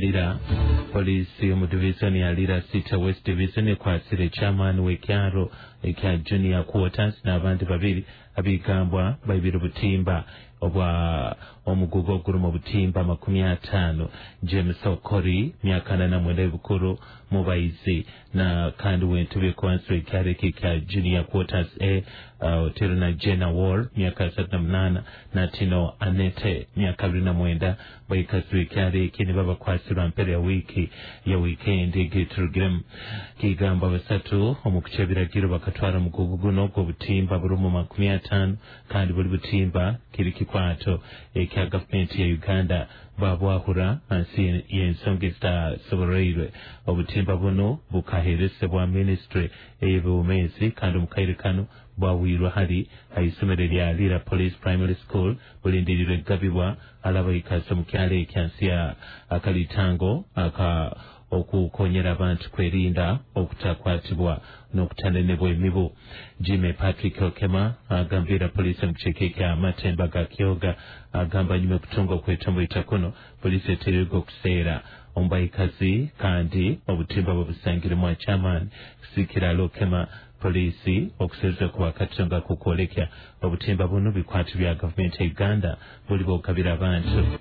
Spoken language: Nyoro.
Lira Poliisi omu divizoni ya Lira City West Division ekwasire chairman w'ekyaro ekya Junior Quarters n'abandi babiri abigambwa baibire obutimba obwa omugugu ogurimu obutimba 50. James Okori, myaka 49 y'obukuru, mubaizi na kandi w'entebe ekwansi w'ekyaro eki ekya Junior Quarters A, otero na Jena Wall, myaka 38, na Tino Anete, myaka 29, baikazi b'ekyaro eki nibo bakwasirwa mpera ya wiiki ya wiikendi egi turugiremu. Kigamba basatu omu kuca ebiragiro bakatwara omugugu guno gw'obutimba burimu 50, kandi buri butimba kiri kikwato ekya gavumenti ya Uganda, babwahura hansi y'ensonga ezitasoboroirwe. Obutimba buno bukaheeresebwa minisitule ey'ebyobumezi, kandi omu kaire kano bwawirwe hali haisomero lya Lira Police Primary School, bulindirirwe kugabibwa alabaikazi omu kyalo ekyansi ya akalitango aka okukonyera abantu kwerinda okutakwatibwa n'okutanenebwa emibu. Jimmy Patrick Okema agambira poliisi omu kicweka ekya Matemba ga Kyoga agamba nyuma okutunga okwetomboita kuno, poliisi eteereirwe okuseera omubaikazi kandi obutimba bubusangiremu chairman kusikira Lokema. Poliisi okuseruza kuba katonga kukwolekya obutimba buno bikwatu bya gavumenti ya Uganda buli bwokabira abantu.